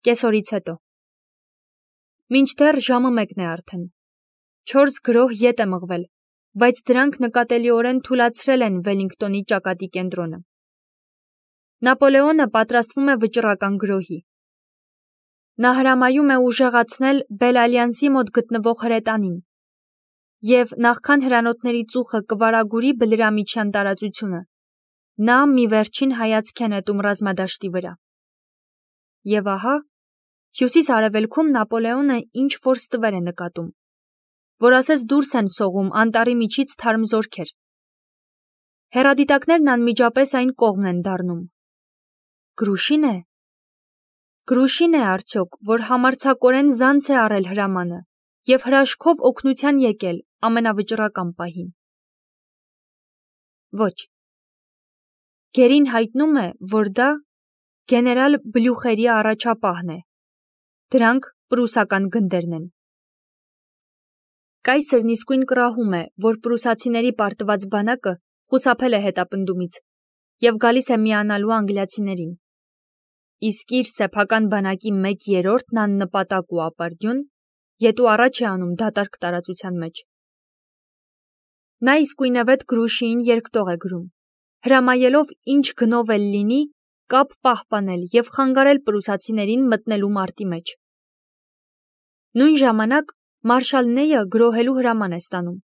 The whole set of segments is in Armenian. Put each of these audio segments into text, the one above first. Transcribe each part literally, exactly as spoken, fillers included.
Կեսօրից հետո։ Մինչդեռ ժամը մեկն է արդեն։ Չորս գրոհ ետ է մղվել, բայց դրանք նկատելիորեն թուլացրել են Վելինգտոնի ճակատի կենտրոնը։ Նապոլեոնը պատրաստվում է վճռական գրոհի։ Նա հրամայում է ուժեղացնել Բել-Ալյանսի մոտ գտնվող հրետանին, և նախքան հրանոթների ծուխը կվարագուրի բլրամիջյան տարածությունը, նա մի վերջին հայացք է նետում ռազմադաշտի վրա։ Եվ ահա, հյուսիս-արևելքում Նապոլեոնը ինչ-որ ստվեր է նկատում, որ ասես դուրս են սողում անտառի միջից թարմ զորքեր։ Հեռադիտակներն անմիջապես այն կողմն են դառնում։ Գրուշի՞ն է։ Գրուշի՞ն է արդյոք, որ համարձակորեն զանց է առել հրամանը և հրաշքով օգնության եկել ամենավճռական պահին։ Ոչ։ Գերին հայտնում է, որ դա գեներալ Բլյուխերի առաջապահն է։ Դրանք պրուսական գնդերն են։ Կայսրն իսկույն կռահում է, որ պրուսացիների պարտված բանակը խուսափել է հետապնդումից և գալիս է միանալու անգլիացիներին։ Իսկ իր սեփական բանակի մեկ երրորդն աննպատակ ու ապարդյուն ետու առաջ է անում դատարկ տարածության մեջ։ Նա իսկույնևեթ Գրուշիին երկտող է գրում, հրամայելով ինչ գնով էլ լինի կապ պահպանել և խանգարել պրուսացիներին մտնելու մարտի մեջ։ Նույն ժամանակ մարշալ Նեյը գրոհելու հրաման է ստանում։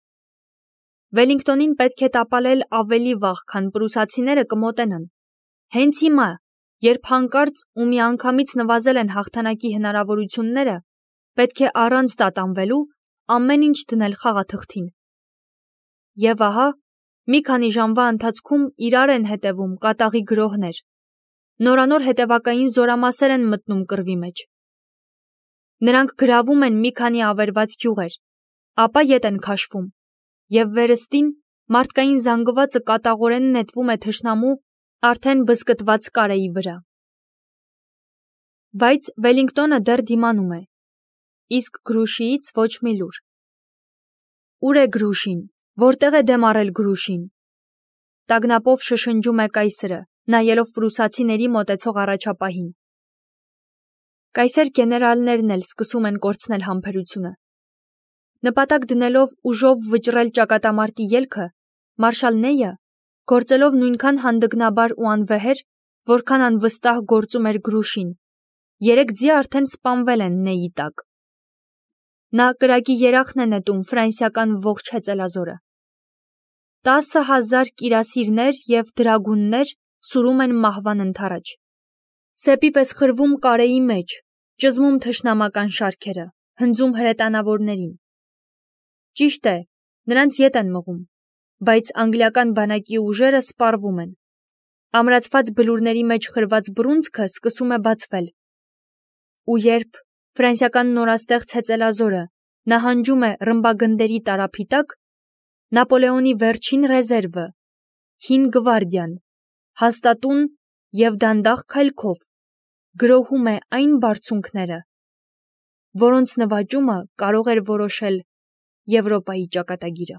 Վելինգտոնին պետք է տապալել ավելի վաղ, քան պրուսացիները կմոտենան։ Հենց հիմա, երբ հանկարծ ու միանգամից նվազել են հաղթանակի հնարավորությունները, պետք է առանց տատանվելու ամեն ինչ դնել խաղաթղթին։ Եվ ահա, մի քանի ժամվա ընթացքում իրար են հետևում կատաղի գրոհներ։ Նորանոր հետևակային զորամասեր են մտնում կռվի մեջ։ Նրանք գրավում են մի քանի ավերված գյուղեր, ապա ետ են քաշվում, և վերստին մարդկային զանգվածը կատաղորեն նետվում է թշնամու արդեն բզկտված կարեի վրա։ Բայց Վելինգտոնը դեռ դիմանում է, իսկ Գրուշիից ոչ մի լուր։ Ուր է Գրուշին, որտեղ է դեմ առել Գրուշին։ Տագնապով շշնջում է կայսրը, նայելով պրուսացիների մոտեցող առաջապահին։ Կայսեր գեներալներն էլ սկսում են կորցնել համբերությունը։ Նպատակ դնելով ուժով վճռել ճակատամարտի ելքը, մարշալ Նեյը, գործելով նույնքան հանդգնաբար ու անվեհեր, որքան անվստահ գործում էր Գրուշին, երեք ձի արդեն սպանվել են Նեյի տակ։ Նա կրակի երախն է նետում ֆրանսիական ողջ հեծելազորը։ Տասը հազար կիրասիրներ և դրագուններ սուրում են մահվան ընդառաջ։ Սեպի պես խրվում կարեի մեջ, ճզմում թշնամական շարքերը, հնձում հրետանավորներին։ Ճիշտ է, նրանց ետ են մղում, բայց անգլիական բանակի ուժերը սպառվում են։ Ամրացված բլուրների մեջ խրված բռունցքը սկսում է բացվել։ Ու երբ ֆրանսիական նորաստեղծ հեծելազորը նահանջում է ռմբագնդերի տարափի տակ, Նապոլեոնի վերջին ռեզերվը, հին գվարդիան, հաստատուն և դանդաղ քայլքով գրոհում է այն բարձունքները, որոնց նվաճումը կարող էր որոշել Եվրոպայի ճակատագիրը։